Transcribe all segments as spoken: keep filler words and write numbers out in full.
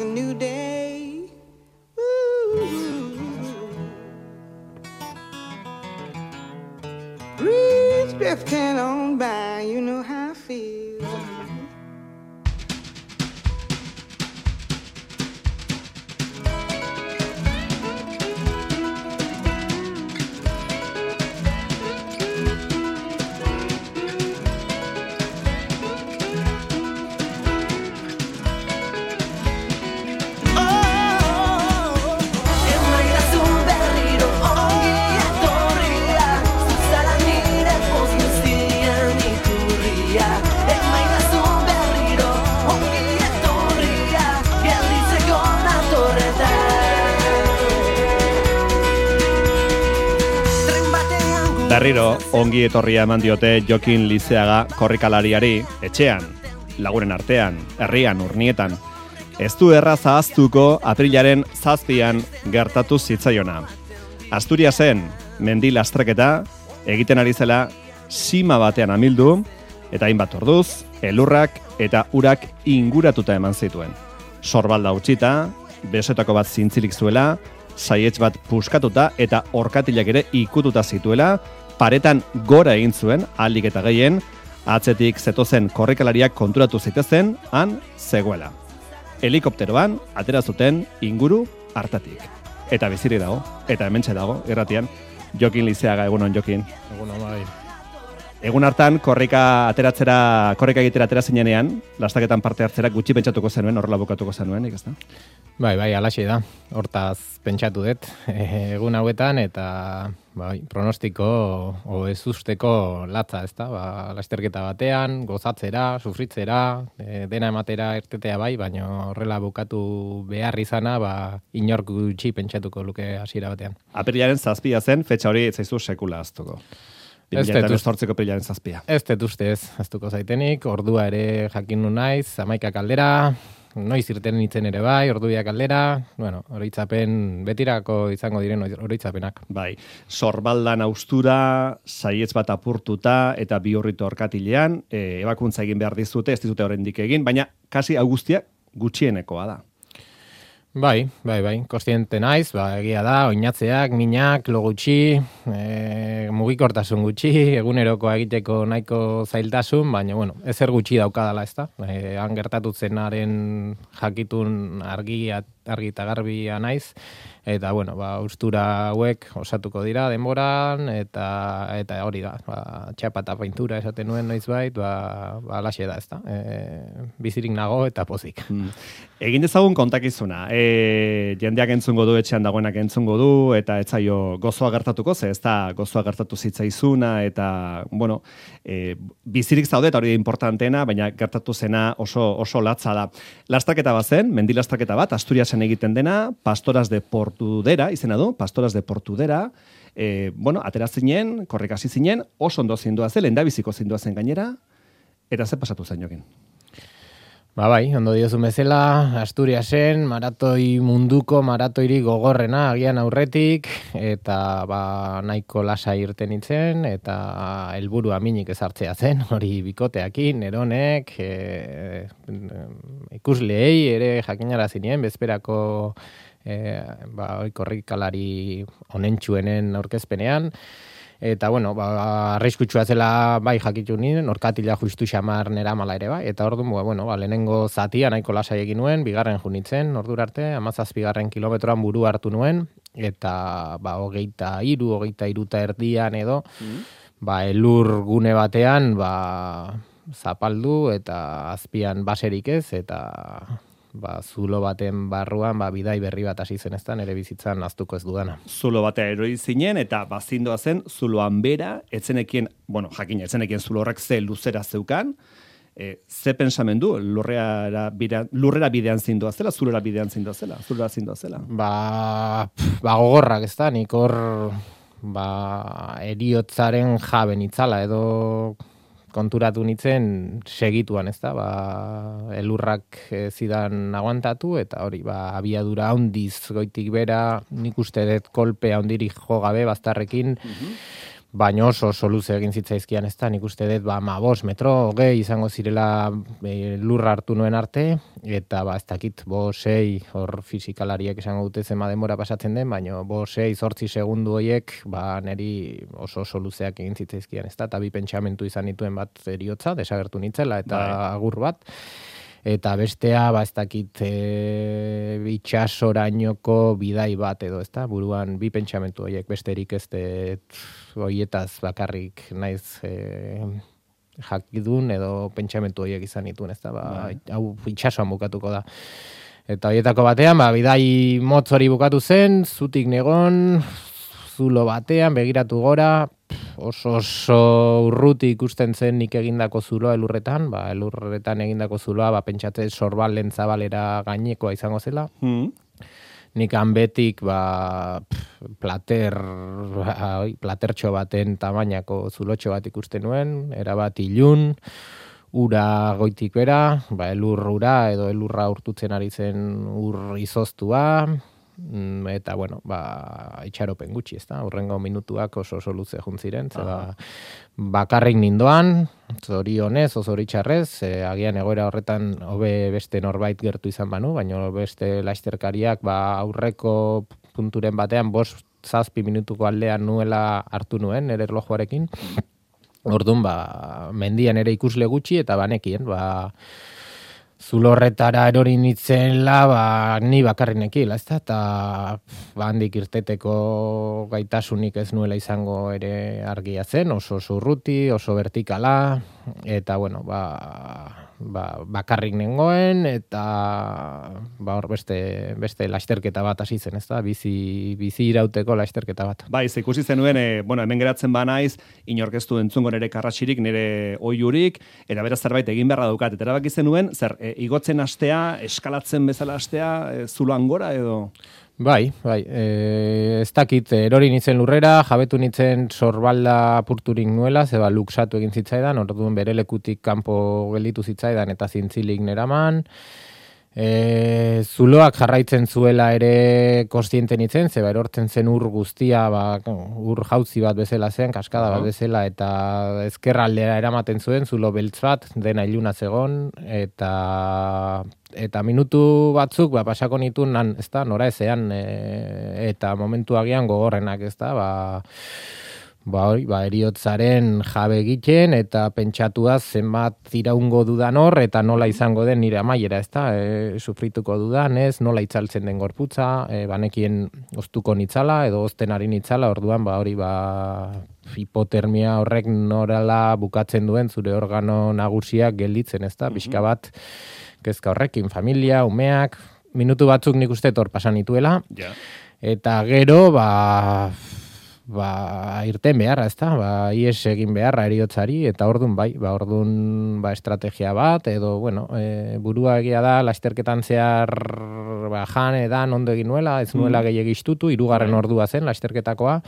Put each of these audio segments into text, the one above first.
a new day. Ooh. Breeze drifting on by, you know how I feel. Berriro, ongi etorria eman diote Jokin Lizeaga korrikalariari, etxean, lagunen artean, herrian, urnietan. Ez du erraz ahaztuko aprilaren zazpian gertatu zitzaiona. Asturiasen mendi lastreketa egiten ari zela sima batean amildu, eta hainbat orduz, elurrak eta urak inguratuta eman zituen. Sorbalda utxita, besoetako bat zintzilik zuela, saietz bat puskatuta eta orkatilak ere ikututa zituela, paretan gora egin zuen, ahalik eta gehien, atzetik zetozen korrikalariak konturatu zitezen, han zegoela. Helikopteroan atera zuten inguru hartatik. Eta bizirik dago, eta hementxe dago, irratian, Jokin Lizeaga, egunon Jokin. Egunon bai. Egun hartan korrika ateratzera, korrika egitera atera zinenean, lastaketan parte hartzera gutxi pentsatuko zenuen, horrela bukatuko zenuen, ikazta? Bai, bai, alaxe da. Hortaz pentsatu dut egun hauetan eta bai, pronostiko o ez usteko latza, ezta? Ba, lasterketa batean, gozatzera, sufritzera, e, dena ematera ertetea bai, baina horrela bukatu behar izana, ba, inork gutxi pentsatuko luke hasiera batean. Apirilaren zazpia zen, fetxa hori ez zaizu sekula aztuko. Ez dut aprilaren zazpia. Ez dut ustez, aztuko zaitenik, ordua ere jakin nu naiz, hamaika kaldera, noiz irten nintzen ere bai, ordubiak aldera, bueno, oroitzapen, betirako izango diren oroitzapenak. Bai, sorbaldan austura, saietz bat apurtuta eta bi horrito orkatilean, e, ebakuntza egin behar dizute, ez dizute oraindik egin, baina kasi hau guztia gutxienekoa da. Bai, bai, bai, kostiente naiz, ba, egia da, oinatzeak, minak, lo gutxi, e, mugikortasun gutxi, egunerokoa egiteko nahiko zailtasun, baina, bueno, ezer gutxi daukadala, ez da? E, han gertatu zenaren jakitun argi, argi eta garbia naiz, eta, bueno, ba, ustura hauek osatuko dira denboran, eta eta hori da, ba, txapa eta paintura esaten nuen noizbait, ba, ba, alaxe da, ez da? E, bizirik nago eta pozik. Hmm. Egin dezagun kontakizuna, e, jendeak entzungo du, etxean dagoenak entzungo du, eta ez zaio gozoa gertatuko, ze ez da gozoa gertatu zitzaizuna, eta, bueno, e, bizirik zaude, eta hori da importanteena, baina gertatu zena oso, oso latza da. Lastaketa bat zen, mendi lastaketa bat, Asturiasen egiten dena, Pastoras de Portudera, izena du, Pastoras de Portudera, e, bueno, atera zinen, korrikasi zinen, oso ondo zindua zen, lehendabiziko zindua zen gainera, eta ze pasatu zen Jokin? Ba bai, ondo diozu bezala, Asturiasen, maratoi munduko maratoiri gogorrena agian aurretik, eta ba, nahiko lasai irten nintzen, eta helburua minik ezartzea zen, hori bikoteakin, eronek, e, ikusleei ere jakinara zinien, bezperako e, ba, korrikalari onentsuenen aurkezpenean, eta, bueno, ba, arriskutsua zela bai jakitu nien, orkatila justu xamar nera mala ere bai, eta orduan, bueno, ba, lehenengo zatia nahiko lasai egin nuen, bigarren junitzen, ordura arte, hamazazpigarren kilometroan buru hartu nuen, eta, ba, hogeita hiru, hogeita hiruta erdian edo, mm. ba, elur gune batean, ba, zapaldu, eta azpian baserik ez, eta ba, zulo baten barruan, ba, bidai berri bat hasi zen eztan, ere bizitzan aztuko ez dudana. Zulo batea erori zinen, eta bazindoa zen, zuloan bera, etzenekien, bueno, jakin, etzenekien zulo horrek ze luzera zeukan, e, ze pensamendu, lurrera, bira, lurrera bidean zindoa zela, zulora bidean zindoa zela, zulora zindoa zela? Ba, pff, ba gogorrak ez da, nik hor, ba, eriotzaren jaben itzala, edo konturatu nitzen segituan, ez da, ba, elurrak zidan aguantatu, eta hori, ba, abiadura handiz goitik bera, nik uste dut kolpe handirik jo gabe, baztarrekin, mm-hmm. baina oso oso luze egin zitzaizkian, ez da, nik uste dut, ba, ma bos metro, hogei izango zirela e, lurra hartu nuen arte, eta ba, ez dakit, bo sei, hor fizikalariek esango dute zema denbora pasatzen den, baina bo sei, zortzi segundu horiek, ba, neri oso oso luzeak egin zitzaizkian, ez da, eta bi pentsamentu izan dituen bat eriotza, desagertu nintzela, eta bai. Agur bat, eta bestea, ba, ez dakit, e, itxasorainoko bidai bat edo, ez da, buruan bi pentsamentu horiek, besterik ez de, horietaz bakarrik naiz e, jakidun edo pentsamentu horiek izan dituen, ez da, ba, hau itxasoan bukatuko da. Eta horietako batean, ba, bidai motz hori bukatu zen, zutik negon, zulo batean, begiratu gora, oso oso urruti ikusten zen nik egindako zuloa elurretan, ba, elurretan egindako zuloa, ba, pentsatzen sorbalen zabalera gainekoa izango zela. Mm. Nik hanbetik, ba, plater, ba, platertxo baten tamainako zulotxo bat ikusten nuen, erabat ilun, ura goitik bera, ba, elur ura edo elurra urtutzen ari zen ur izoztua, eta, bueno, ba, itxaropen gutxi, ez da, urrengo minutuak oso oso luze juntziren, zera, bakarrik nindoan, zorionez, oso zoritxarrez, e, agian egoera horretan hobe beste norbait gertu izan banu, baina beste lasterkariak, ba, aurreko punturen batean, bost zazpi minutuko aldean nuela hartu nuen, nire erlojuarekin, orduan, ba, mendian ere ikusle gutxi, eta banekien, ba, zulorretara erori nitzela, ba, ni bakarrinekila, ez da, eta ba, handik irteteko gaitasunik ez nuela izango ere argia zen, oso oso urruti, oso vertikala, eta, bueno, ba, ba, bakarrik nengoen, eta ba, hor beste, beste lasterketa bat hasi zen, ez da, bizi, bizi irauteko lasterketa bat. Bai, ze ikusi zenuen, e, bueno, hemen geratzen banaiz, inorkeztu entzungo nire karratxirik, nire oiurik, eta beraz zerbait egin beharra daukat, eta erabaki zenuen, zer, e, igotzen hastea, eskalatzen bezala hastea, e, zuloan gora edo? Bai, bai, e, ez dakit, erori nintzen lurrera, jabetu nintzen sorbalda apurturik nuela, zeba luksatu egin zitzaidan, orduan bere lekutik kanpo gelditu zitzaidan eta zintzilik neraman, e, zuloak jarraitzen zuela ere kostiente nintzen, zeba erortzen zen ur guztia, ba, ur jauzi bat bezala zen, kaskada bat bezala, eta ezkerraldera eramaten zuen, zulo beltz bat, dena iluna zegon, eta... eta minutu batzuk ba, pasako nituen nan, ez da, nora ezean, e, eta momentu agian gogorrenak, ez da, ba, ba, hori, ba, eriotzaren jabe egiten, eta pentsatua zenbat iraungo dudan hor, eta nola izango den nire amaiera, ez da, e, sufrituko dudan, ez, nola itzaltzen den gorputza, e, banekien oztuko nitzala, edo ozten ari nitzala, orduan, ba, hori, ba, hipotermia horrek norala bukatzen duen, zure organo nagusiak gelditzen, ez da, pixka bat, kezka horrekin, familia, umeak, minutu batzuk nik uste tor pasan nituela, yeah. Eta gero, ba, ba, irten beharra, ez da, ba, ies egin beharra eriotzari, eta ordun bai, ba, ordun ba, estrategia bat, edo, bueno, e, burua egia da, lasterketan zehar, ba, jan, edan, ondo egin nuela, ez nuela mm. gehiagistutu, hirugarren mm. ordua zen, lasterketakoa,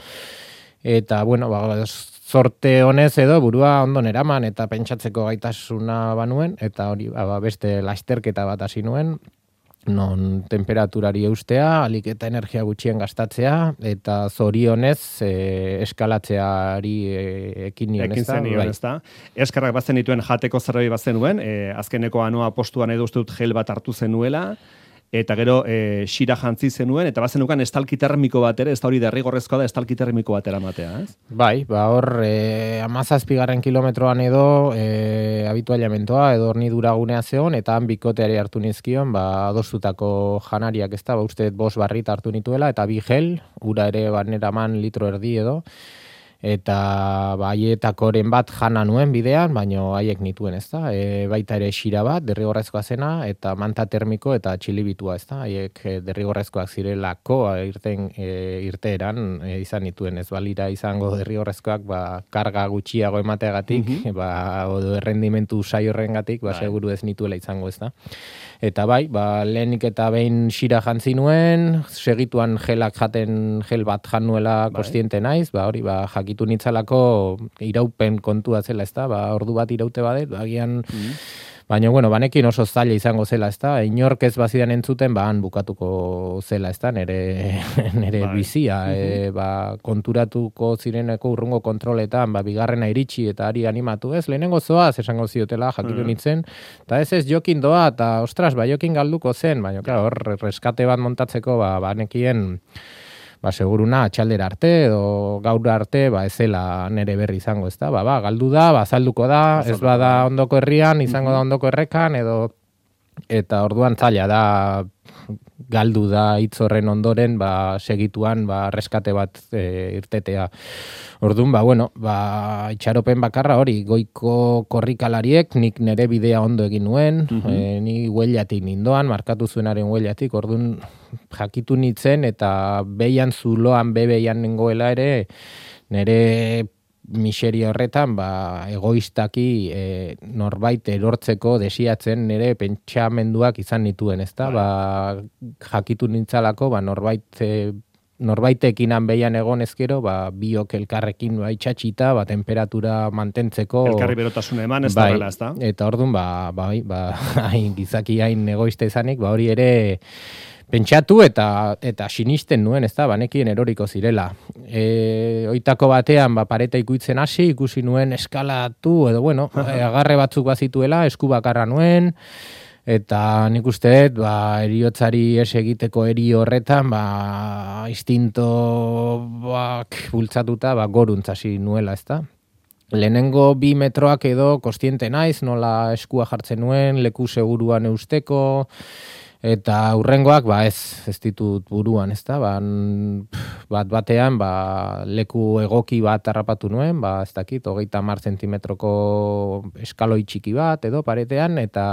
eta, bueno, ba, zorte honez edo burua ondo neraman eta pentsatzeko gaitasuna banuen, eta hori ba, beste lasterketa bat hasi nuen, non temperaturari eustea, alik eta energia gutxien gastatzea, eta zorionez e, eskalatzeari e, ekin nion ez da. Ekin ez da. Eskarrak bazen dituen jateko zerbait bazenuen, e, azkeneko anua postuan edo uste dut gel bat hartu zenuela, eta gero e, xira jantzi zenuen, eta bazenukan estalki termiko bat ere, ez da hori derrigorrezkoa da estalki termiko bat eramatea, ez? Bai, ba hor, e, amazazpigarren kilometroan edo e, habituallamentoa, edo hornidura gunea zeon, eta han bikoteari hartu nizkion, ba, adostutako janariak ez da, ba, uste bos barrit hartu nituela, eta bi gel, ura ere baneraman litro erdi edo, eta ba, haietakoren bat jana nuen bidean, baino haiek nituen, ez da, e, baita ere xira bat, derrigorrezkoa zena, eta manta termiko eta txilibitua, ez da, haiek derrigorrezkoak zirelako, irten, e, irteeran e, izan nituen, ez balira izango derrigorrezkoak, ba, karga gutxiago emateagatik, mm-hmm. ba, odo errendimentu sai horrengatik, ba, seguru ez nituela izango, ez da. Eta bai, ba, lehenik eta behin xira jantzi nuen, segituan gelak jaten, gel bat jan nuela kostiente naiz, ba, hori, ba, jakitu nitzalako iraupen kontua zela, ez da, ba, ordu bat iraute badet, agian, mm. Baina, bueno, banekin oso zaila izango zela, ez da? Inork ez bazidan entzuten, ba, han bukatuko zela, ez da? Nere, nere bai. bizia, e, ba, konturatuko zireneko urrungo kontroletan, ba, bigarrena iritsi eta ari animatu, ez? Lehenengo zoaz, esango ziotela, jakitu nintzen, eta ez ez jokin doa, eta ostras, ba, jokin galduko zen, baina, hor, reskate bat montatzeko, ba, banekien, ba, seguruna atxaldera arte edo gaur arte ba ezela nere berri izango, ezta? Ba, ba, galdu da, ba azalduko da, ez bada ondoko herrian, izango da ondoko errekan edo eta orduan zaila da galdu da hitz horren ondoren, ba segituan ba reskate bat e, irtetea. Orduan, ba bueno, ba itxaropen bakarra hori, goiko korrikalariek nik nere bidea ondo egin nuen, uh-huh. e, ni huellatik nindoan, markatu zuenaren huellatik, orduan jakitu nintzen eta beian zuloan bebeian nengoela ere nere miseria horretan ba, egoistaki e, norbait erortzeko desiatzen nire pentsamenduak izan nituen, ezta? Ba, jakitu nintzalako ba, norbait e, norbaitekin hanbeian egon ezkero, ba, biok elkarrekin ba, itxatxita, ba, temperatura mantentzeko. Elkarri berotasuna eman, ez da bela, ez da? Eta orduan, ba, ba, ba, hain gizaki hain egoista izanik, ba, hori ere pentsatu eta eta sinisten nuen, ezta, banekien eroriko zirela. E, oitako batean ba pareta ikuitzen hasi, ikusi nuen eskalatu edo bueno, agarre batzuk bazituela, esku bakarra nuen eta nik uste dut ba heriotzari es egiteko eri horretan ba instintoak bultzatuta ba goruntz hasi nuela, ezta. Lehenengo bi metroak edo kostiente naiz, nola eskua jartzen nuen, leku seguruan eusteko. Eta hurrengoak, ba ez, ez ditut buruan, ez da, ba, bat batean, ba, leku egoki bat harrapatu nuen, ba, ez dakit, hogeita hamar zentimetroko eskaloi txiki bat, edo paretean, eta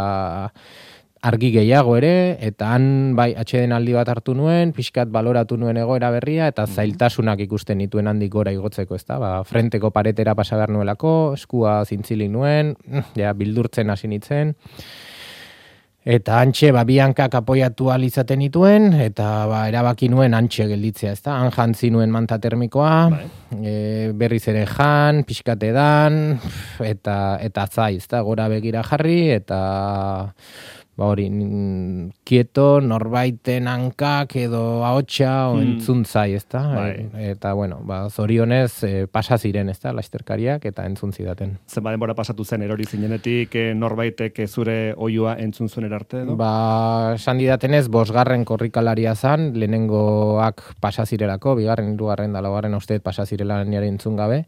argi gehiago ere, eta han, bai, atxeden aldi bat hartu nuen, pixkat baloratu nuen egoera berria, eta zailtasunak ikusten nituen handik gora igotzeko, ez da, ba, frenteko paretera pasa behar nuelako, eskua zintzilik nuen, ja, bildurtzen hasi nitzen, eta antxe, ba, bi hankak apoiatu alizaten nituen, eta ba, erabaki nuen antxe gelditzea, ezta? Han jantzi nuen manta termikoa, e, berriz ere jan, pixkate dan, eta, eta zai, ezta? Gora begira jarri, eta ba hori, kieto, norbaiten hankak edo ahotsa o entzun zai, ezta? Bai. E, eta, bueno, ba, zorionez e, pasa ziren, ezta, lasterkariak eta entzun zidaten. Zenba denbora pasatu zen erori zinenetik, e, norbaitek zure oiua entzun zuen erarte, edo? Ba, esan didatenez, bosgarren korrikalaria zan, lehenengoak pasa zirelako, bigarren, hirugarren da laugarren usteet pasa zirela niare entzun gabe,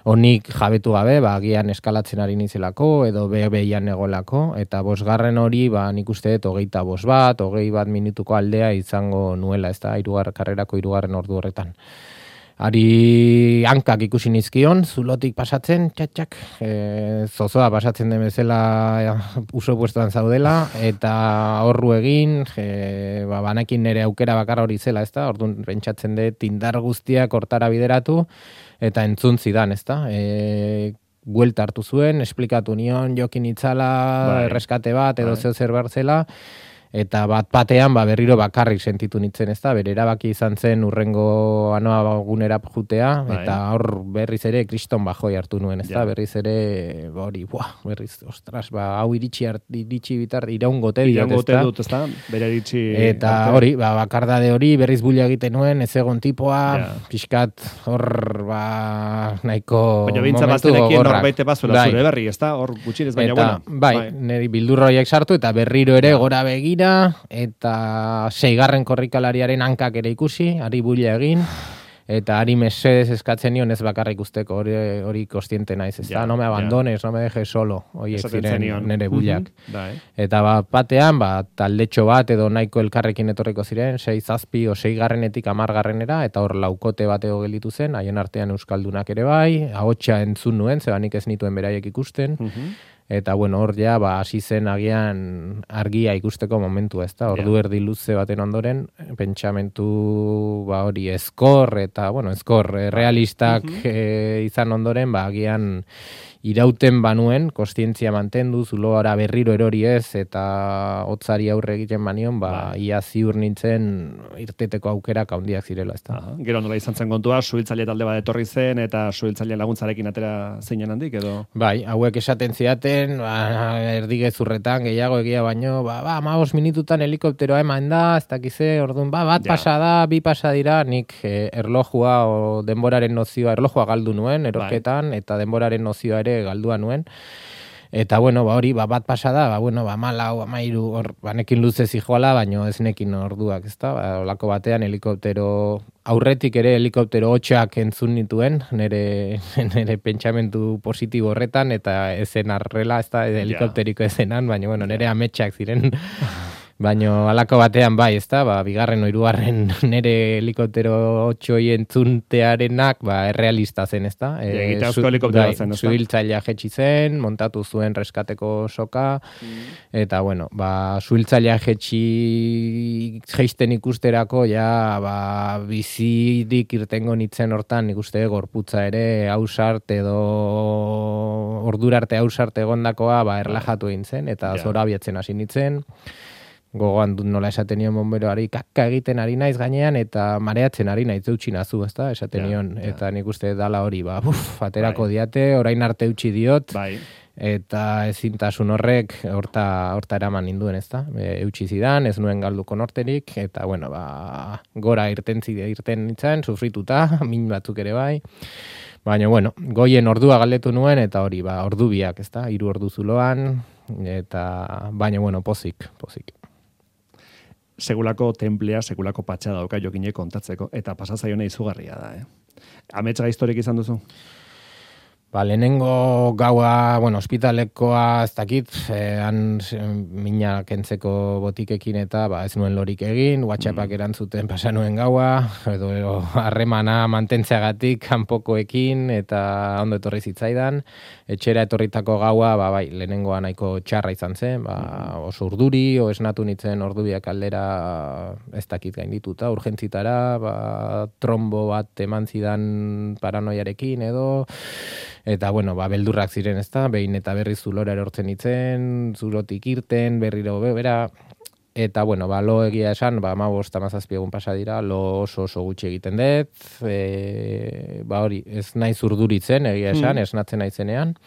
honik jabetu gabe, ba, agian eskalatzen ari nizelako, edo be-beian egolako, eta bosgarren hori, ba, nik uste dut, hogeita bos bat, hogei bat minutuko aldea izango nuela, ez da, irugar, karrerako irugarren ordu horretan. Ari hankak ikusi nizkion, zulotik pasatzen, txatxak, e, zozoa pasatzen den bezala ja, uso puestoan zaudela, eta horru egin, e, ba, banekin nire aukera bakarra hori zela, ez da, orduan pentsatzen dut indar guztiak hortara bideratu, eta entzun zidan, ez da, e, buelta hartu zuen, esplikatu nion, jokin itzala, bai. Erreskate bat, edo bai. Zeo zer bartzela, eta bat batean ba, berriro bakarrik sentitu nintzen, ez da, bere erabaki izan zen urrengo anoa gunera jutea, bai. Eta hor berriz ere kriston bajoi hartu nuen, ez da, ja. Berriz ere, hori, buah, berriz, ostras, ba, hau iritsi, art, iritsi bitar, iraungote dut, iraungote dut, ez da, bere iritsi. Eta arte. Hori, ba, bakardade hori, berriz bulia egiten nuen, ez egon tipoa, ja. Pixkat, hor, ba, nahiko baina bintza baztenekien norbaite bazuela zure berri, ez da, hor gutxinez, baina eta, bueno. Bai, bai. Neri bildurroiek sartu, eta berriro ere ja. Gora begira, eta seigarren korrikalariaren hankak ere ikusi, ari bulia egin, eta ari mesedez eskatzen nion ez bakarrik usteko, hori, hori kostiente naiz, ez da, no me abandones, ja. No me dejes solo, horiek ziren nire buliak. Mm-hmm. Eta ba, batean, ba, taldetxo bat edo nahiko elkarrekin etorriko ziren, sei zazpi o seigarrenetik hamargarrenera, eta hor laukote bateo gelditu zen, haien artean euskaldunak ere bai, ahotsa entzun nuen, zebanik ez nituen beraiek ikusten, mm-hmm. Eta, bueno, hor ja, ba, hasi zen agian argia ikusteko momentu, ez da? Ordu yeah. Erdi luze baten ondoren, pentsamentu, ba, hori, eskor, eta, bueno, eskor, realistak mm-hmm. e, izan ondoren, ba, agian irauten banuen, kostientzia mantendu, zuloara berriro erori ez, eta hotzari aurre egiten banion, ba, ia ziur nintzen irteteko aukerak handiak zirela, ez da. Gero nola izan zen kontua, suhiltzaile talde bat etorri zen, eta suhiltzaileen laguntzarekin atera zeinen handik, edo? Bai, hauek esaten ziaten, ba, erdigezurretan, gehiago egia baino, ba, ba, amabos minututan helikopteroa eman da, ez dakize, orduan, ba, bat ja. pasa da, bi pasa dira, nik eh, erlojua o denboraren nozioa, erlojua galdu nuen, erorketan, bai. Eta denboraren nozioa ere galdua nuen. Eta bueno, ba hori, ba bat pasada, ba bueno, ba malau, amairu, hor banekin luze zijoala, baino ez nekin orduak, ezta? Ba holako batean helikoptero aurretik ere helikoptero hotxak entzun nituen, nere nere pentsamentu positibo horretan eta ezen arrela, ezta? Helikopteriko ezenan, baina bueno, nere ametsak ziren. Baino halako batean bai, ezta? Ba bigarren o hirugarren nere helikoptero hotxoi entzuntearenak, ba errealista zen, ezta? Eh, Egitazko helikoptero zen, ezta? Suhiltzailea jetzi zen, montatu zuen reskateko soka, mm. eta bueno, ba suhiltzailea jetzi jeisten ikusterako ja ba bizirik irtengo nitzen hortan, ikuste gorputza ere ausart edo ordurarte ausart egondakoa ba erlajatu egin zen eta yeah. zora abiatzen hasi nitzen. Gogoan dut nola esaten nion bomberoari, kaka egiten ari naiz gainean, eta mareatzen ari naiz eutxi nazu, ezta? Esaten nion, ja, ja. Eta nik uste dala hori, ba, buf, aterako bai. Diate, orain arte eutxi diot, bai. Eta ezintasun horrek horta, horta eraman ninduen, ezta? E, eutxi zidan, ez nuen galduko norterik, eta, bueno, ba, gora irten zide, irten nintzen, sufrituta, min batzuk ere bai, baina, bueno, goien ordua galdetu nuen, eta hori, ba, ordu biak, ezta? Hiru ordu zuloan, eta, baina, bueno, pozik, pozik. Segulako templea, segulako patxa dauka Jokinek kontatzeko, eta pasazaiona izugarria da, eh? Ametsa historik izan duzu? Ba, lehenengo gaua, bueno, ospitalekoa ez dakit, eh, han mina kentzeko botikekin eta ba, ez nuen lorik egin, WhatsAppak mm. erantzuten pasa nuen gaua, edo harremana mantentzeagatik kanpokoekin eta ondo etorri zitzaidan. Etxera etorritako gaua, ba, bai, lehenengoa nahiko txarra izan zen, ba, oso urduri, o esnatu nitzen ordubiak aldera ez dakit gaindituta, urgentzitara, ba, trombo bat eman zidan paranoiarekin edo, eta, bueno, ba, beldurrak ziren, ezta, behin eta berri zulora erortzen itzen, zulotik irten, berriro bera, eta, bueno, ba, lo egia esan, ba, amabost amazazpi egun pasa dira, lo oso oso gutxi egiten dut, e, ba, hori, ez naiz urduritzen, egia esan, mm. esnatzen naizenean,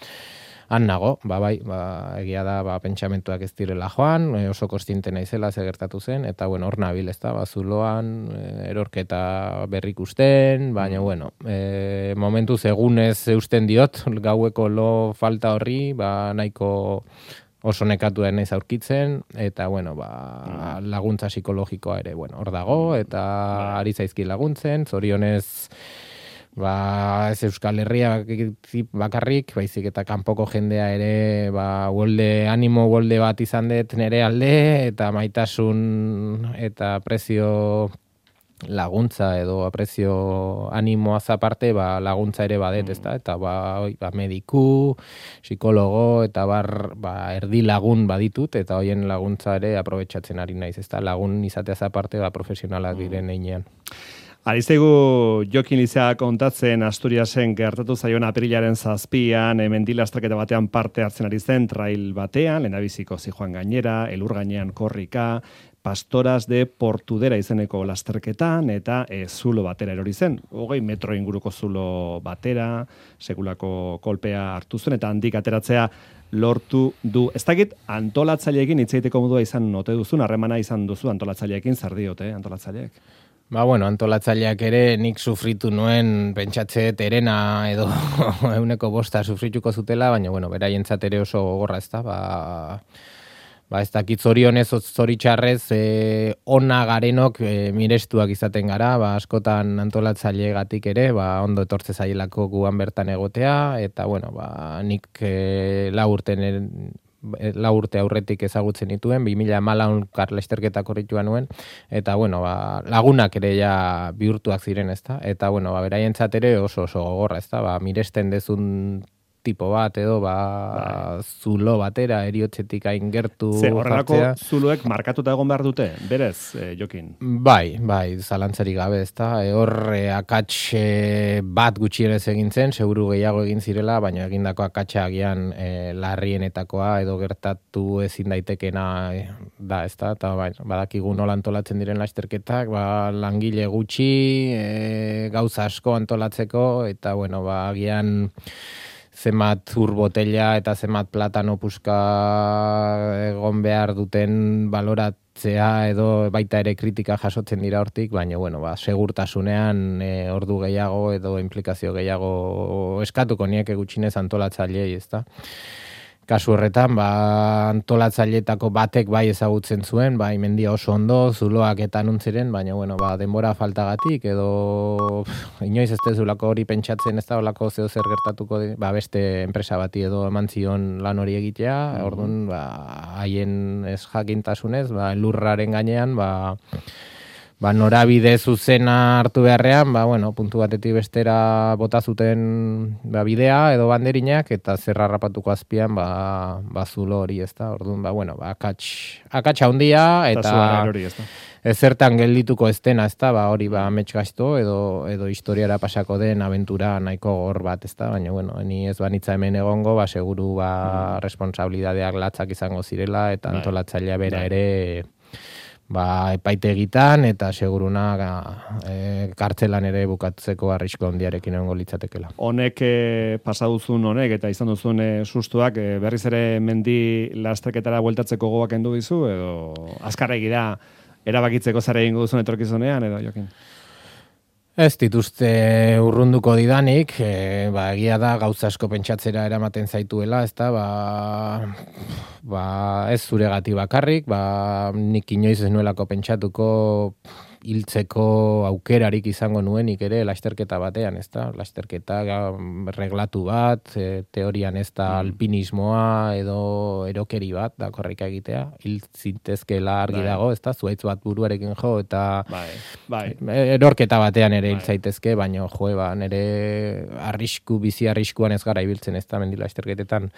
han nago, ba, bai, ba, egia da, ba, pentsamentuak ez direla joan, e, oso kostiente naizela ze gertatu zen, eta, bueno, hor nabil, ez da, ba, zuloan, e, erorketa berrik usten, baina, bueno, e, momentuz egunez eusten diot, gaueko lo falta horri, ba, nahiko oso nekatu naiz aurkitzen, eta, bueno, ba, laguntza psikologikoa ere, bueno, hor dago, eta ari zaizki laguntzen, zorionez, ba, ez Euskal Herria bakarrik, baizik eta kanpoko jendea ere, ba, wolde, animo wolde bat izan dut nere alde, eta maitasun eta prezio laguntza edo aprezio animoaz aparte, ba, laguntza ere badet, ezta? Eta ba, oi, ba, mediku, psikologo eta bar, ba, erdi lagun baditut, eta hoien laguntza ere aprobetxatzen ari naiz, ezta? Lagun izateaz aparte, ba, profesionalak diren einean. Ariztegu Jokin Lizea kontatzen Asturiasen gertatu zaion apirilaren zazpian, mendila astraketa batean parte hartzen ari zen, trail batean, lehendabiziko zijoan gainera, elur gainean korrika, Pastoras de Portudera izeneko lasterketan, eta e, zulo batera erori zen. Hogei metro inguruko zulo batera, sekulako kolpea hartu zen, eta handik ateratzea lortu du. Ez dakit, antolatzaileekin hitzeiteko modua izan note duzun, harremana izan duzu antolatzaileekin, zer diote antolatzaileek? Ba, bueno, antolatzaileak ere nik sufritu nuen pentsatze terena edo euneko bosta sufrituko zutela, baina, bueno, beraientzat ere oso gogorra ez da, ba... Ba, ez dakit zorionez, zoritxarrez, e, ona garenok e, mirestuak izaten gara, ba, askotan antolatzailegatik ere, ba, ondo etortze zailako guan bertan egotea, eta, bueno, ba, nik e, lau urten, e, lau urte aurretik ezagutzen dituen, bi mila hamalau karlesterketa korritua nuen, eta, bueno, ba, lagunak ere ja bihurtuak ziren, ezta? Eta, bueno, ba, beraientzat ere oso oso gogorra, ezta? Ba, miresten dezun tipo bat edo ba, zulo batera eriotzetik hain gertu Ze, horrelako jartzea. zuloek markatuta egon behar dute, berez, eh, Jokin? Bai, bai, zalantzarik gabe, ezta. E, hor e, akats e, bat gutxienez egin zen, seguru gehiago egin zirela, baina egindako akatsa agian e, larrienetakoa edo gertatu ezin daitekena e, da, ezta. Eta bai, badakigu nola antolatzen diren lasterketak, ba, langile gutxi, e, gauza asko antolatzeko, eta bueno, ba, agian zenbat ur botella eta zenbat platano puska egon behar duten baloratzea edo baita ere kritika jasotzen dira hortik, baina bueno, ba, segurtasunean e, ordu gehiago edo implikazio gehiago eskatuko nieke gutxinez antolatzaileei, ezta. Kasu horretan, ba, antolatzaileetako batek bai ezagutzen zuen, bai mendia oso ondo, zuloak eta nuntziren, baina bueno, ba, denbora faltagatik, edo pff, inoiz ez dezulako hori pentsatzen ez da olako zeo zer gertatuko, ba, beste enpresa bati edo eman zion lan hori egitea, mm-hmm. Orduan, ba, haien ez jakintasunez, ba, lurraren gainean, ba, ba, norabide zuzena hartu beharrean, ba, bueno, puntu batetik bestera bota zuten ba, bidea edo banderinak, eta zerra rapatuko azpian, ba, ba zulo hori, ez da, orduan, ba, bueno, ba, akats, akatsa handia, eta hori, ez da. ezertan geldituko ez dena, ez da, ba, hori, ba, amets gaizto, edo, edo historiara pasako den abentura nahiko gor bat, ez da, baina, bueno, ni ez banitza hemen egongo, ba, seguru, ba, mm. responsabilidadeak latzak izango zirela, eta antolatzailea bera ere, ba, epaitegitan eta seguruna e, kartzelan ere bukatzeko arrisko handiarekin egongo litzatekela. Honek e, pasa duzun honek eta izan duzun e, sustuak e, berriz ere mendi lasterketara bueltatzeko gogoak kendu dizu edo azkarregi da erabakitzeko zer egingo duzun etorkizunean edo Jokin? Ez dituzte urrunduko didanik, e, ba, egia da gauza asko pentsatzera eramaten zaituela, ezta, ba, ba, ez zuregati bakarrik, ba, nik inoiz ez nuelako pentsatuko hiltzeko aukerarik izango nuenik ere lasterketa batean, ezta, lasterketa reglatu bat, e, teorian ez da alpinismoa edo erokeri bat, da korrika egitea, hil zintezkela argi bai. Dago, ezta, zuaitz bat buruarekin jo, eta bai, bai. erorketa batean ere hil zaitezke, baina jo, ba, nire arrisku, bizi arriskuan ez gara ibiltzen, ezta, mendi lasterketetan.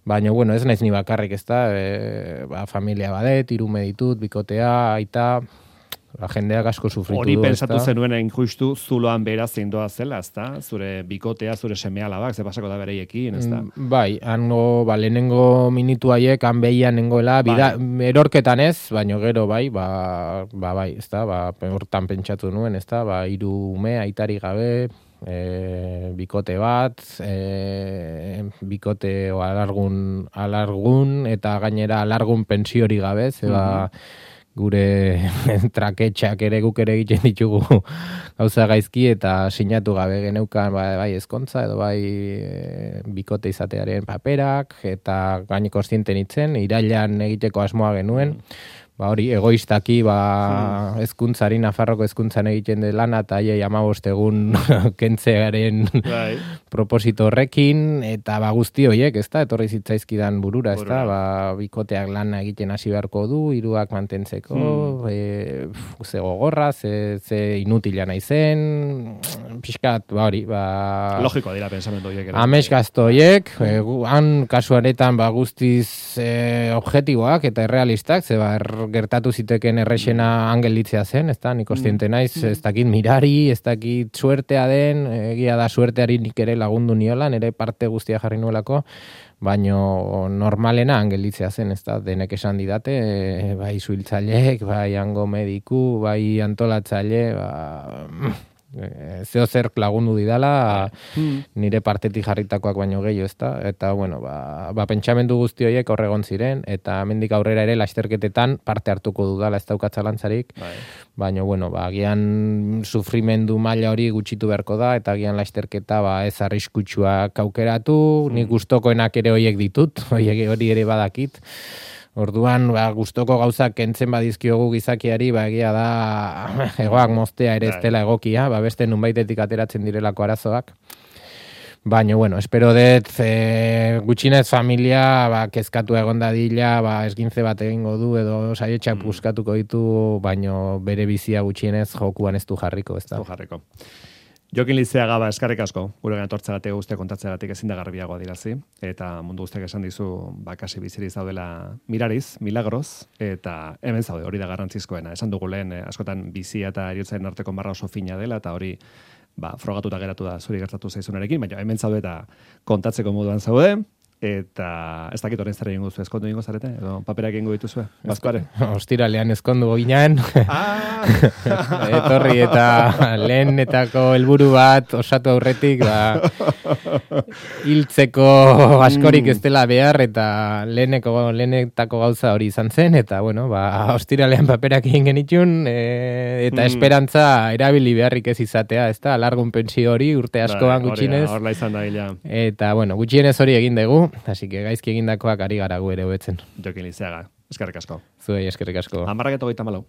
Baina, bueno, ez naiz ni bakarrik, ezta, e, ba, familia badet, hiru ditut, bikotea, aita, la jendeak asko sufritu hori du. Hori pensatu zenuen justu zuloan bera zindoa zela, ezta? Zure bikotea, zure seme-alabak, ze pasako da bereiekin, ezta? Mm, bai, hango, ba, lehenengo minutu haiek, han behian nengoela, bida, bai. Erorketan ez, baino gero, bai, ba, ba bai, ezta? Ba, hortan pentsatu nuen, ezta? Ba, hiru ume, aitari gabe, e, bikote bat, e, bikote o alargun, alargun, eta gainera alargun pentsiori gabe, ze ba, mm-hmm. gure traketxak ere guk ere egiten ditugu gauza gaizki eta sinatu gabe geneukan bai, bai ezkontza edo bai e, bikote izatearen paperak eta gaine kontziente nitzen, irailan egiteko asmoa genuen, ba hori egoistaki ba hmm. hezkuntzari Nafarroko hezkuntzan egiten de lana eta haiei hamabost egun kentzearen right. proposito horrekin eta ba guzti horiek, ezta, etorri zitzaizkidan burura, ezta, ba bikoteak lana egiten hasi beharko du, hiruak mantentzeko, hmm. e, ze gogorra, ze, ze inutila naizen, pixkat, ba hori, ba logikoa dira pensamendu horiek. Amets gazto horiek, e, han kasu honetan ba guztiz e, objektiboak eta errealistak, ze ba gertatu ziteken errexena angelitzea zen, ez da, nik kontziente naiz, ez dakit mirari, ez dakit suertea den, egia da suerteari nik ere lagundu niola, nire parte guztia jarri nuelako, baino normalena angelitzea zen, ez da, denek esan didate, bai zuhiltzaileek, bai hango mediku, bai antolatzaile, ba... zeo zer lagundu didala nire partetik jarritakoak baino gehiago, ezta, eta bueno, ba, ba pentsamendu guzti horiek horregon ziren, eta hemendik aurrera ere lasterketetan parte hartuko dudala, ez daukat zalantzarik, baina bueno, ba agian sufrimendu maila hori gutxitu beharko da, eta agian lasterketa ba ez arriskutsuak aukeratu, mm. nik gustokoenak ere horiek ditut, horiek hori ere badakit. Orduan, ba, gustoko gauzak kentzen badizkiogu gizakiari, ba, egia da, egoak moztea ere ez dela egokia, ba, beste nunbaitetik ateratzen direlako arazoak. Baina, bueno, espero dut, e, gutxinez familia, ba, kezkatu egon dadila, ba, esgintze bat egingo du, edo saietxak buskatuko ditu, baina bere bizia gutxienez jokuan ez du jarriko, ez da. Ez du jarriko. Jokin Lizeaga ba eskarrik asko, gure etortzeagatik guztia kontatzeagatik ezin da garbiagoa dirazi, eta mundu guztiak esan dizu, ba, kasi biziriz daudela mirariz, milagros, eta hemen zaude, hori da garrantzizkoena. Esan dugu lehen, eh, askotan bizia eta heriotzaren arteko marra oso fina dela, eta hori, ba, frogatuta geratu da zuri gertatu zaizunarekin, baina hemen zaude eta kontatzeko moduan zaude, eta ez dakit orain zer egingo duzu, ezkondu egingo zarete, edo paperak egingo dituzue, bazkoare? Ostiralean ezkondu ginen, Ah! etorri eta lehenetako helburu bat osatu aurretik, ba, hiltzeko askorik ez dela behar, eta leheneko, lehenetako gauza hori izan zen, eta bueno, ba, ostiralean paperak egin genitun, e, eta Mm. esperantza erabili beharrik ez izatea, ez da, alargun pensio hori urte askoan Bai, hori da, gutxinez, Horla izan da gila. eta bueno, gutxienez hori egin dugu, así que gaizki egindakoak ari gara gu ere hobetzen. Jokin Lizeaga, eskerrik asko. Zuei eskerrik asko. Amarrak eta hogeita malau.